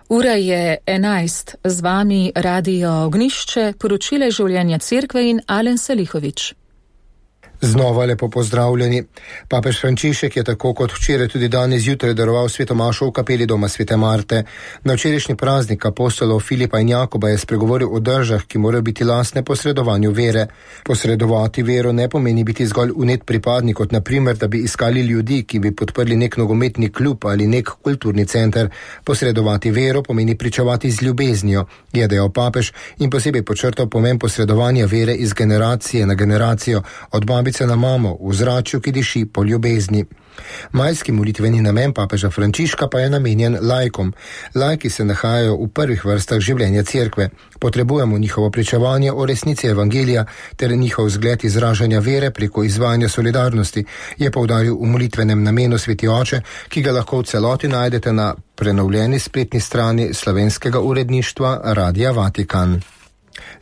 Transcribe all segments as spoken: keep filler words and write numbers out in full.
Ura je enajst, z vami Radio Ognišče, poročile življenja cerkve in Alen Salihovič. Znova lepo pozdravljeni. Papež Frančišek je tako kot včeraj tudi danes zjutraj daroval sveto mašo v kapeli doma svete Marte. Na včerajšnji praznik apostolov Filipa in Jakoba je spregovoril o držah, ki morajo biti lastne posredovanju vere. Posredovati vero ne pomeni biti zgolj unet pripadnik, kot na primer, da bi iskali ljudi, ki bi podprli nek nogometni klub ali nek kulturni center. Posredovati vero pomeni pričevati z ljubeznijo, je dejal papež in posebej podčrtal pomen posredovanja vere iz generacije na generacijo, od babice na mamo, v zračju, ki diši po ljubezni. Majski molitveni namen papeža Frančiška pa je namenjen laikom. Laiki se nahajajo v prvih vrstah življenja cerkve. Potrebujemo njihovo pričevanje o resnici evangelija ter njihov zgled izražanja vere preko izvajanja solidarnosti, je poudaril v molitvenem namenu sveti oče, ki ga lahko v celoti najdete na prenovljeni spletni strani slovenskega uredništva Radia Vatikan.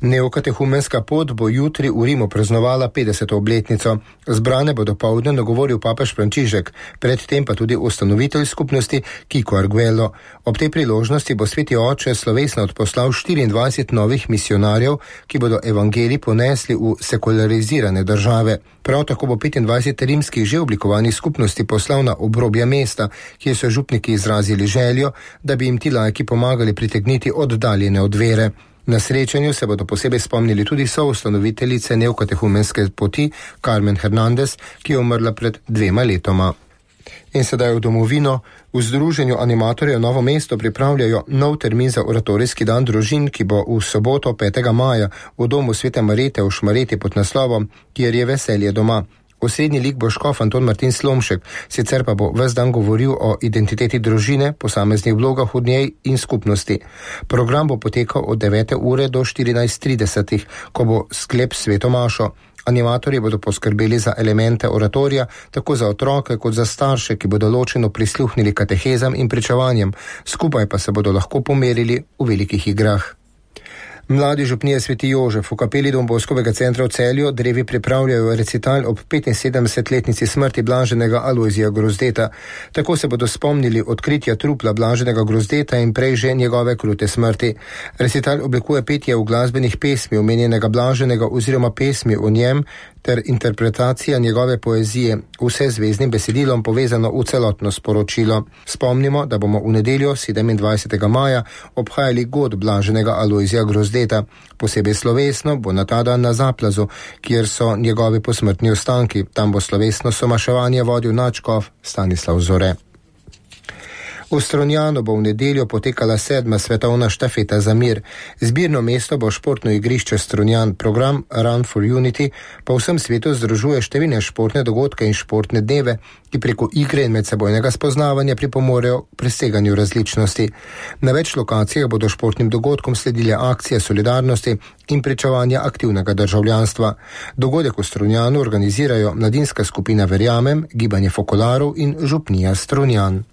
Neokatehumenska pot bo jutri v Rimu praznovala petdeseto obletnico. Zbrane bo dopoldne nagovoril papež Frančišek, predtem pa tudi ustanovitelj skupnosti Kiko Arguello. Ob tej priložnosti bo sveti oče slovesno odposlal štiriindvajset novih misionarjev, ki bodo evangelij ponesli v sekularizirane države. Prav tako bo petindvajset rimskih že oblikovanih skupnosti poslal na obrobje mesta, kjer so župniki izrazili željo, da bi jim ti laiki pomagali pritegniti oddaljene od vere. Na srečanju se bodo posebej spomnili tudi soustanoviteljice neokatehumenske poti Carmen Hernandez, ki je umrla pred dvema letoma. In sedaj v domovino. V Združenju animatorjev Novo mesto pripravljajo nov termin za oratorijski dan družin, ki bo v soboto petega maja v domu svete Marete v Šmareti pod naslovom Kjer je veselje doma. Osrednji lik bo škof Anton Martin Slomšek, sicer pa bo ves dan govoril o identiteti družine, posameznih vlogah v njej in skupnosti. Program bo potekal od devete ure do štirinajst trideset, ko bo sklep sveto mašo. Animatorji bodo poskrbeli za elemente oratorija, tako za otroke kot za starše, ki bodo ločeno prisluhnili katehezam in pričevanjem, skupaj pa se bodo lahko pomerili v velikih igrah. Mladi župnije Sveti Jožef v kapeli Don Boskovega centra v Celju drevi pripravljajo recital ob petinsedemdesetletnici smrti blaženega Alojzija Grozdeta. Tako se bodo spomnili odkritja trupla blaženega Grozdeta in prej že njegove krute smrti. Recital oblikuje petje v glasbenih pesmi omenjenega blaženega oziroma pesmi o njem ter interpretacija njegove poezije, vse z zvezdnim besedilom povezano v celotno sporočilo. Spomnimo, da bomo v nedeljo sedemindvajsetega maja obhajali god blaženega Alojzija Grozdeta. Posebej slovesno bo na ta dan na Zaplazu, kjer so njegovi posmrtni ostanki. Tam bo slovesno somaševanje vodil nadškof Stanislav Zore. V Strunjanu bo v nedeljo potekala sedma svetovna štafeta za mir. Zbirno mesto bo športno igrišče Strunjan. Program Run for Unity po vsem svetu združuje številne športne dogodke in športne dneve, ki preko igre in medsebojnega spoznavanja pripomorejo k preseganju različnosti. Na več lokacijah bodo športnim dogodkom sledile akcije solidarnosti in pričevanja aktivnega državljanstva. Dogodek v Strunjanu organizirajo mladinska skupina Verjamem, Gibanje Fokolarov in Župnija Strunjan.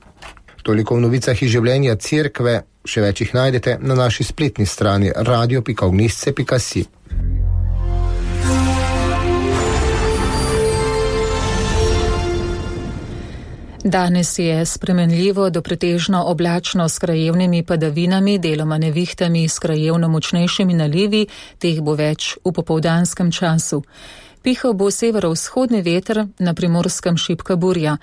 Toliko v novicah iz življenja cerkve, še več jih najdete na naši spletni strani radio pika ognisce pika si. Danes je spremenljivo do pretežno oblačno s krajevnimi padavinami, deloma nevihtami s krajevno močnejšimi nalivi, teh bo več v popoldanskem času. Pihal bo severovzhodni veter, na Primorskem šibka burja.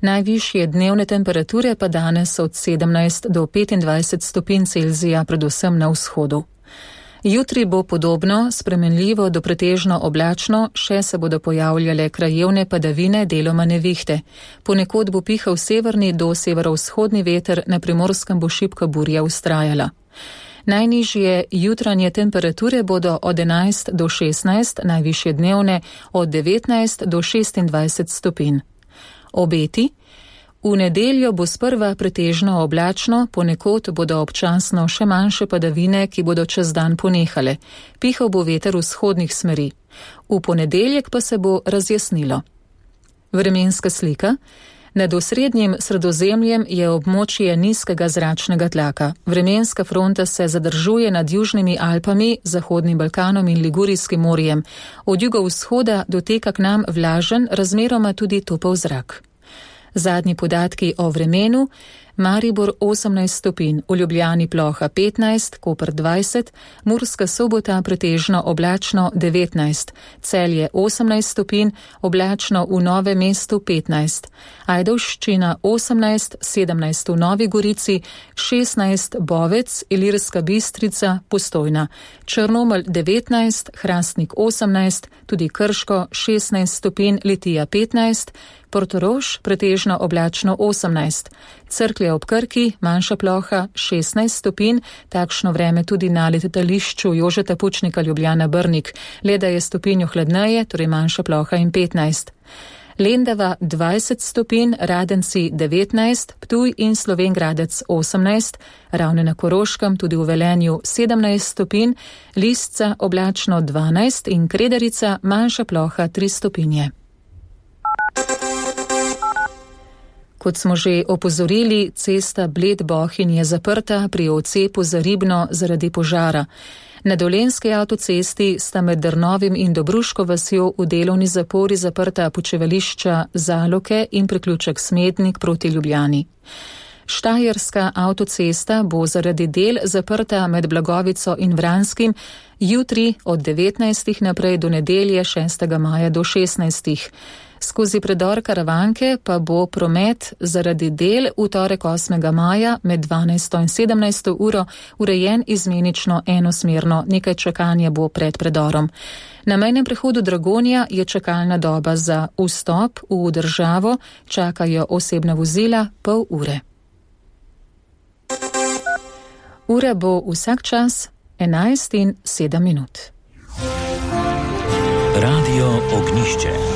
Najvišje dnevne temperature pa danes od sedemnajst do petindvajset stopinj Celzija, predvsem na vzhodu. Jutri bo podobno, spremenljivo do pretežno oblačno, še se bodo pojavljale krajevne padavine, deloma nevihte. Ponekod bo pihal severni do severovzhodni veter, na Primorskem bo šibka burja vztrajala. Najnižje jutranje temperature bodo od enajst do šestnajst, najvišje dnevne od devetnajst do šestindvajset stopinj. Obeti. V nedeljo bo sprva pretežno oblačno, ponekod bodo občasno še manjše padavine, ki bodo čez dan ponehale. Pihal bo veter vzhodnih smeri. V ponedeljek pa se bo razjasnilo. Vremenska slika. Nad osrednjim Sredozemljem je območje nizkega zračnega tlaka. Vremenska fronta se zadržuje nad Južnimi Alpami, Zahodnim Balkanom in Ligurijskim morjem. Od jugovzhoda doteka k nam vlažen, razmeroma tudi topel zrak. Zadnji podatki o vremenu. Maribor osemnajst stopinj, v Ljubljani ploha petnajst, Koper dvajset, Murska Sobota pretežno oblačno devetnajst, Celje osemnajst stopinj, oblačno v Novem mestu petnajst, Ajdovščina osemnajst, sedemnajst v Novi Gorici, šestnajst Bovec, Ilirska Bistrica, Postojna, Črnomelj devetnajst, Hrastnik osemnajst, tudi Krško šestnajst stopinj, Litija petnajst, Portorož pretežno oblačno osemnajst, Cerklje ob Krki, manjša ploha šestnajst stopinj, takšno vreme tudi na letališču Jožeta Pučnika Ljubljana Brnik, le da je stopinjo hladneje, torej manjša ploha in petnajst. Lendava dvajset stopinj, Radenci devetnajst, Ptuj in Slovenj Gradec osemnajst, Ravne na Koroškem, tudi v Velenju sedemnajst stopinj, Lisca oblačno dvanajst in Kredarica manjša ploha tri stopinje. Kot smo že opozorili, cesta Bled-Bohinj je zaprta pri odcepu za Ribno zaradi požara. Na Dolenjski avtocesti sta med Drnovim in Dobruško vasjo v delovni zapori zaprta počivališča Zaloke in priključek Smednik proti Ljubljani. Štajerska avtocesta bo zaradi del zaprta med Blagovico in Vranskim jutri od devetnajstih naprej do nedelje šestega maja do šestnajstih. Skozi predor Karavanke pa bo promet zaradi del v torek osmega maja med dvanajsto in sedemnajsto uro urejen izmenično enosmerno, nekaj čakanja bo pred predorom. Na mejnem prehodu Dragonja je čakalna doba za vstop v državo, čakajo osebna vozila pol ure. Ura bo vsak čas enajst in sedem minut. Radio Ognišče.